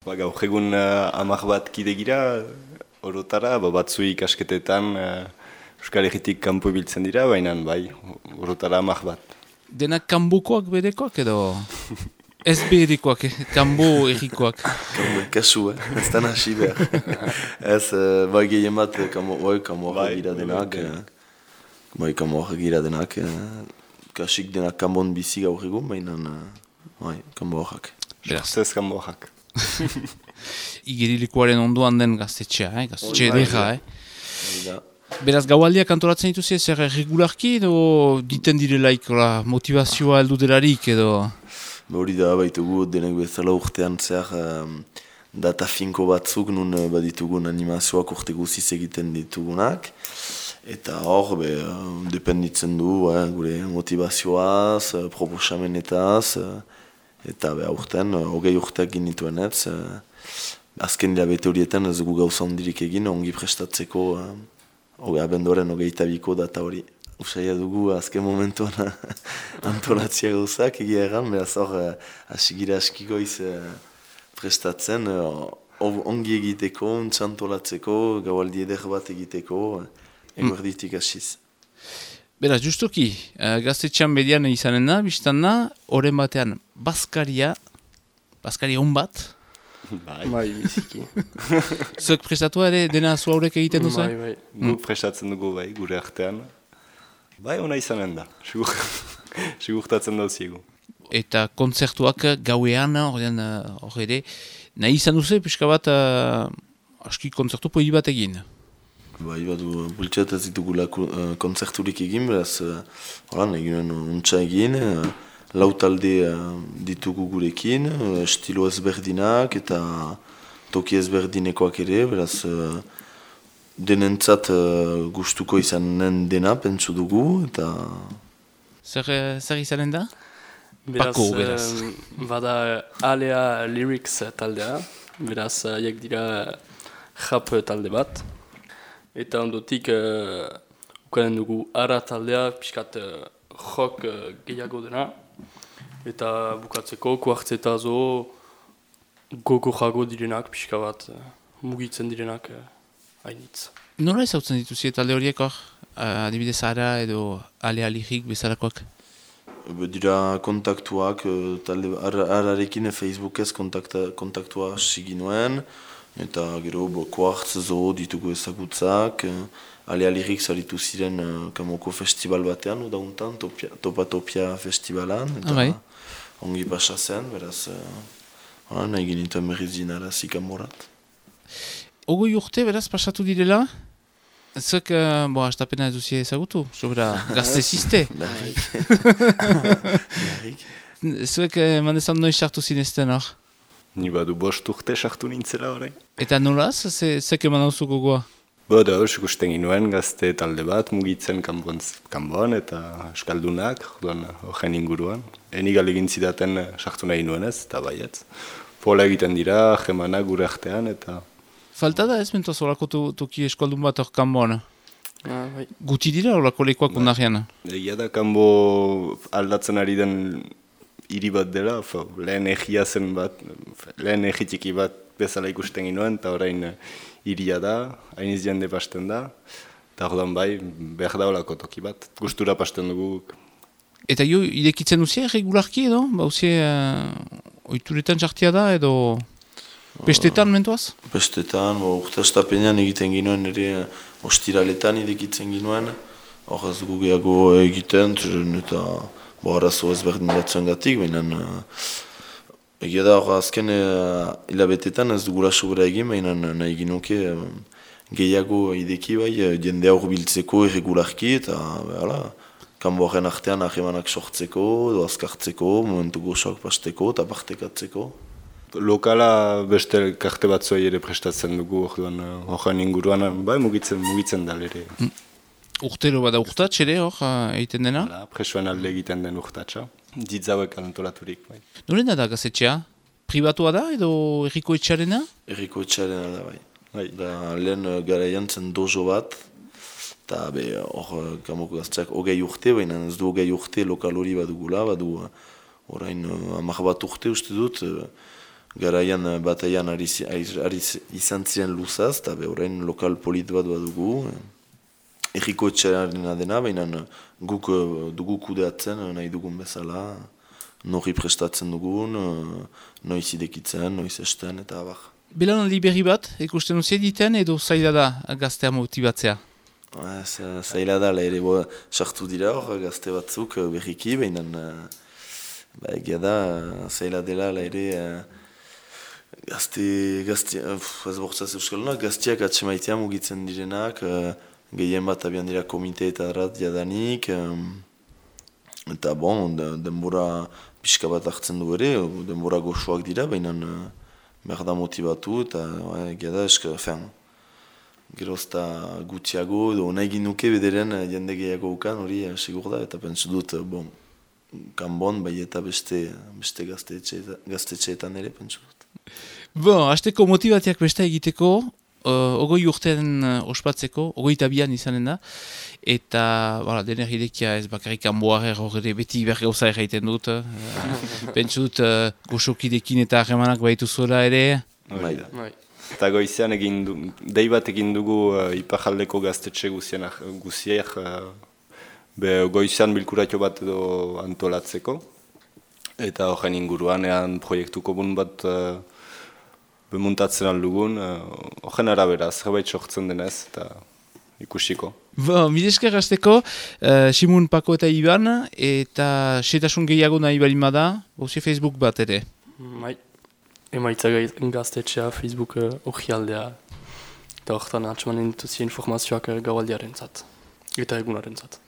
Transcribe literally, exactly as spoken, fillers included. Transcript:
Ba, gaur egun uh, amak bat kide gira, orotara, ba, batzui ikasketetan uh, Euskal Herritik kanpo ibiltzen dira, baina bai, orotara amak bat. Denak kanbukoak berekoak edo ez berekoak, eh? Kanbo errikoak? Kanbo kasu, eh? Ez da nasi behar. Ez, uh, bai gehien bat, bai kanboak gira denak, bai kanboak gira denak, kasik denak kanbon bizi gaur egun, baina bai kanboak. Jortzez kanboak. Igerilikoaren ondoan den gaztetxea, eh? Gaztetxe edera, eh? Beraz, gaualdiak antolatzen dituzi zer regularki edo diten direlaik motivazioa heldu delarik edo? Hori da, baitugu denek bezala urtean zer um, data finko batzuk nun baditugun animazioak urte guziz egiten ditugunak. Eta hor, be, um, dependitzen du, eh, gure motivazioaz, proposamenetaz, eta be, urtean, hogei urteak ginituen ez. Azken hilabete horietan ez gu gauza hondirik egin, ongi prestatzeko uh, abenduaren hogeita biko data hori. Usaia dugu azken momentuan antolatzia gauzak egia egan, beraz hor asigira askikoiz uh, prestatzen, uh, ongi egiteko, ontsa antolatzeko, gaualdi eder bat egiteko, uh, eguerditik asiz. Beraz, justuki, uh, gaztetxean bedian izanen da, biztan da, horren batean, Baskaria, Baskaria hon bat, Bai, bai, biziki. zuek prestatu ere dena zu haurek egiten duzu? Bai, bai. Guk prestatzen dugu bai, gure artean. Bai, ona izanen da, sigur, sigurtatzen dauziegu. Eta kontzertuak gauean, horrean, hor ere, nahi izan duzu, pixka bat, uh, aski kontzertu poi bat egin. Bai, badu, bultxat ez ditugula uh, kontzerturik egin, beraz, uh, horan, eginen untsa egin, uh, lau talde uh, ditugu gurekin, uh, estilo ezberdinak eta toki ezberdinekoak ere, beraz, uh, denentzat uh, gustuko izanen dena, pentsu dugu, eta... Zer, zer izanen da? Beraz, Pako, beraz. um, bada Alea Lyrics taldea, beraz, haiek dira rap talde bat. Eta ondotik, uh, ukanen dugu Ara taldea, pixkat uh, rock uh, gehiago dena. Eta bukatzeko, kuartzeta zo, gogo jago direnak, pixka bat, uh, mugitzen direnak uh, hainitz. Nola ezautzen dituzi talde horiek hor? Uh, adibidez Ara edo Alea Lyric bezalakoak? Be, dira kontaktuak, uh, talde ararekin Facebookez kontakta, kontaktua hasi nuen, eta gero bo, kuartz zo ditugu ezagutzak, uh, Alea Lyric zaritu ziren uh, Kamoko festival batean, udauntan, topia, Topa Topia festivalan, eta ah, bai. ongi pasa zen, beraz, uh, nahi genituen berriz dinarazi Kamorat. Ogoi urte beraz pasatu direla? Zuek, uh, bo, astapena ez duzia ezagutu, sobera gazteziste. Zuek, uh, mandezan noiz sartu zinezten hor? Ni badu bost urte sartu nintzela orain. Eta nolaz, ze, zek eman hauzu gogoa? Boda, ikusten ginuen gazte talde bat, mugitzen kanbon, kanbon eta eskaldunak, horren inguruan. Eni galegin zidaten sartu nahi nuen ez, eta baietz. Pola egiten dira, jemanak gure artean, eta... Falta da ez mentoz horako toki eskaldun bat hor kanboan? Ah, bai. Guti dira horako lekuak Ba. undarrian? Egia da kanbo aldatzen ari den hiri bat dela, fo, lehen egia zen bat, lehen egitiki bat bezala ikusten ginuen, eta orain hiria da, hainiz jende pasten da, eta ordan bai, behar da olako toki bat, gustura pasten dugu. Eta jo, irekitzen duzia regularki edo? Bauzie, uh, oituretan jartia da edo... Pestetan mentuaz? Pestetan, bo, urte astapenean egiten ginuen ere ostiraletan irekitzen ginuen, hor ez dugu gehiago egiten, zeren eta bo, arazo ezberdin batzuen gatik, baina uh, egia da hor azken uh, hilabetetan ez dugula sobera egin, baina nahi ginoke uh, gehiago ideki bai, jende aur biltzeko irregularki eta behala, kanbo horren artean ahemanak sortzeko, edo azkartzeko, momentu gozoak pasteko eta partekatzeko. Lokala beste karte batzuei ere prestatzen dugu, orduan horren inguruan, bai mugitzen, mugitzen da ere. Mm. Urtero bada urtatx ere hor egiten dena? Hala, presoen alde egiten den urtatxa, ditzauek antolaturik. Bai. Nolena da gazetxea? Pribatua da edo erriko etxarena? Erriko etxarena da bai. Bai. Da, lehen garaian zen dojo bat, eta hor Kamoko gazteak hogei urte, baina ez du hogei urte lokal hori badugula, badu orain uh, hamar bat urte uste dut, uh, garaian bataian ari, ari, ari izan ziren luzaz, eta orain lokal polit bat badugu. Erriko etxearena dena, baina guk dugu kudeatzen nahi dugun bezala, nori prestatzen dugun, noiz idekitzen, noiz esten, eta abar. Belaunaldi berri bat, ikusten duzien diten edo zaila da gaztea motibatzea? Zaila da, ere bo, sartu dira hor, gazte batzuk berriki, baina ba, egia da, zaila dela, ere gazte, gazte, ez bortzaz euskaldunak, gazteak atsemaitea mugitzen direnak, gehien bat abian dira komite eta arrat jadanik, eta bon, denbora pixka bat hartzen du ere, denbora goxoak dira, baina behar da motivatu, eta egia da, eska, fen, gerozta gutxiago, edo nahi ginuke bederen jende gehiago ukan, hori segur da, eta pentsu dut, bon, kanbon, bai eta beste, beste gaztetxeetan ere, pentsu dut. Bon, hasteko motivatiak beste egiteko, Uh, ogoi urtean uh, ospatzeko, ogoi tabian izanen da, eta voilà, dener hidekia ez bakarrik anboare horre beti bergauza erraiten dut, uh, pentsu dut uh, goxokidekin eta harremanak baitu zuela ere. Bai da. Eta goizean egin du, dei bat egin dugu uh, iparjaldeko gaztetxe guziak, uh, be goizean bilkuratio bat edo antolatzeko, eta horren inguruan ean proiektu komun bat uh, bemuntatzen aldugun, horren uh, arabera, zerbait sortzen denez, eta ikusiko. Bo, midesker hasteko, uh, Simun, Pako eta Iban, eta setasun gehiago nahi balima da, bozi Facebook bat ere. Bai, emaitza gaztetxea, Facebook hori uh, aldea, eta horretan atxamanen dutuzien informazioak uh, gaualdiaren zat, eta egunaren zat.